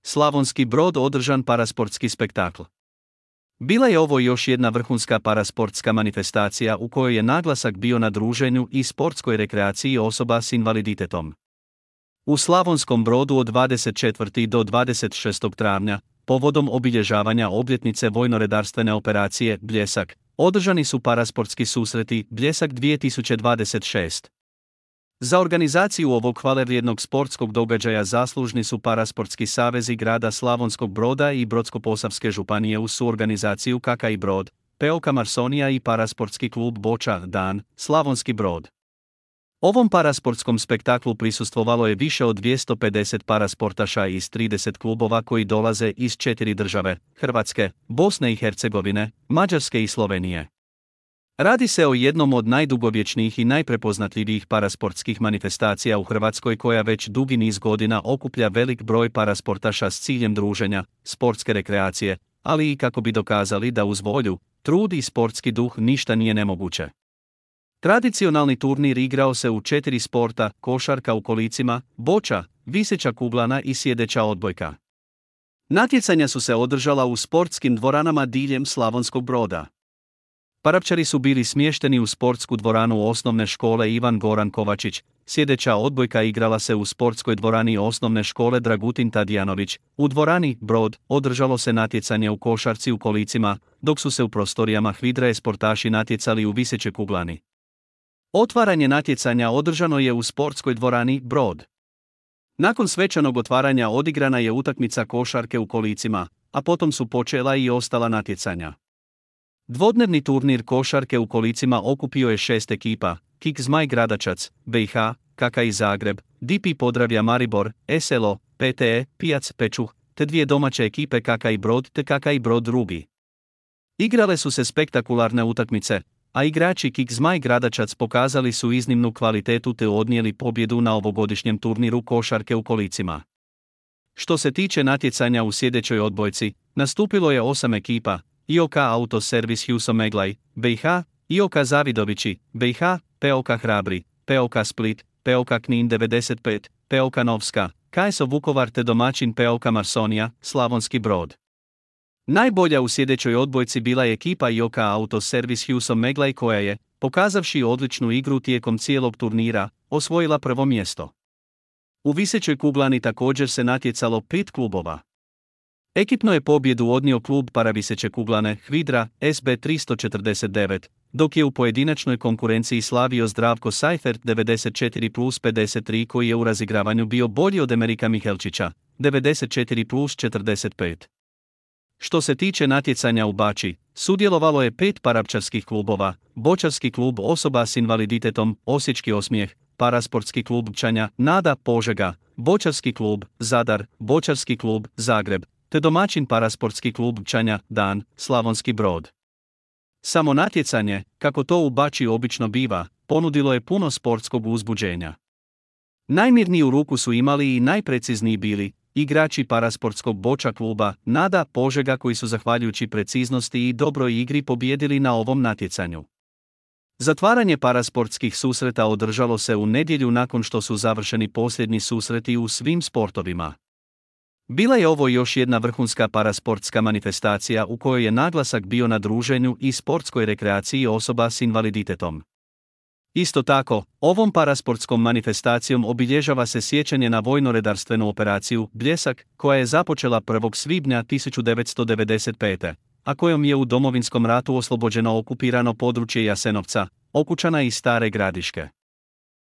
Slavonski Brod održan parasportski spektakl. Bila je ovo još jedna vrhunska parasportska manifestacija u kojoj je naglasak bio na druženju i sportskoj rekreaciji osoba s invaliditetom. U Slavonskom Brodu od 24. do 26. travnja, povodom obilježavanja obljetnice vojnoredarstvene operacije Bljesak, održani su parasportski susreti Bljesak 2026. Za organizaciju ovog hvalevrijednog sportskog događaja zaslužni su parasportski savezi grada Slavonskog Broda i Brodsko-posavske županije uz suorganizaciju KK Brod, POK Marsonija i parasportski klub Boča Dan, Slavonski Brod. Ovom parasportskom spektaklu prisustvovalo je više od 250 parasportaša iz 30 klubova koji dolaze iz 4 države, Hrvatske, Bosne i Hercegovine, Mađarske i Slovenije. Radi se o jednom od najdugovječnijih i najprepoznatljivijih parasportskih manifestacija u Hrvatskoj koja već dugi niz godina okuplja velik broj parasportaša s ciljem druženja, sportske rekreacije, ali i kako bi dokazali da uz volju, trud i sportski duh ništa nije nemoguće. Tradicionalni turnir igrao se u 4 sporta: košarka u kolicima, boča, viseća kuglana i sjedeća odbojka. Natjecanja su se održala u sportskim dvoranama diljem Slavonskog Broda. Parapčari su bili smješteni u sportsku dvoranu osnovne škole Ivan Goran Kovačić, sjedeća odbojka igrala se u sportskoj dvorani osnovne škole Dragutin Tadijanović, u dvorani Brod održalo se natjecanje u košarci u kolicima, dok su se u prostorijama HVIDRA-e sportaši natjecali u visećoj kuglani. Otvaranje natjecanja održano je u sportskoj dvorani Brod. Nakon svečanog otvaranja odigrana je utakmica košarke u kolicima, a potom su počela i ostala natjecanja. Dvodnevni turnir košarke u kolicima okupio je 6 ekipa: KIK Zmaj Gradačac, BiH, KK Zagreb, DP Podravlja Maribor, SLO, PTE, Pijac Pečuh, te 2 domaće ekipe KK Brod te KK Brod Rubi. Igrale su se spektakularne utakmice, a igrači KIK Zmaj Gradačac pokazali su iznimnu kvalitetu te odnijeli pobjedu na ovogodišnjem turniru košarke u kolicima. Što se tiče natjecanja u sjedećoj odbojci, nastupilo je 8 ekipa: IOK Auto Servis Huso Meglaj, BiH, IOK Zavidovići, BiH, POK Hrabri, POK Split, POK Knin 95, POK Novska, KSO Vukovar te domaćin POK Marsonija, Slavonski Brod. Najbolja u sjedećoj odbojci bila je ekipa IOK Auto Servis Huso Meglaj koja je, pokazavši odličnu igru tijekom cijelog turnira, osvojila prvo mjesto. U visećoj kuglani također se natjecalo 5 klubova. Ekipno je pobjedu odnio klub paraviseće kuglane HVIDRA SB 349, dok je u pojedinačnoj konkurenciji slavio Zdravko Seifert 94+53 koji je u razigravanju bio bolji od Amerika Mihelčića 94+45. Što se tiče natjecanja u bači, sudjelovalo je 5 parapčarskih klubova: bočarski klub osoba s invaliditetom Osječki Osmijeh, parasportski klub Pčanja Nada Požega, bočarski klub Zadar, bočarski klub Zagreb, te domaćin parasportski klub Pčanja Dan, Slavonski Brod. Samo natjecanje, kako to u bači obično biva, ponudilo je puno sportskog uzbuđenja. Najmirniju ruku su imali i najprecizniji bili igrači parasportskog boča kluba Nada Požega koji su zahvaljujući preciznosti i dobroj igri pobijedili na ovom natjecanju. Zatvaranje parasportskih susreta održalo se u nedjelju nakon što su završeni posljednji susreti u svim sportovima. Bila je ovo još jedna vrhunska parasportska manifestacija u kojoj je naglasak bio na druženju i sportskoj rekreaciji osoba s invaliditetom. Isto tako, ovom parasportskom manifestacijom obilježava se sjećanje na vojnoredarstvenu operaciju Bljesak, koja je započela 1. svibnja 1995. a kojom je u Domovinskom ratu oslobođeno okupirano područje Jasenovca, Okučana i Stare Gradiške.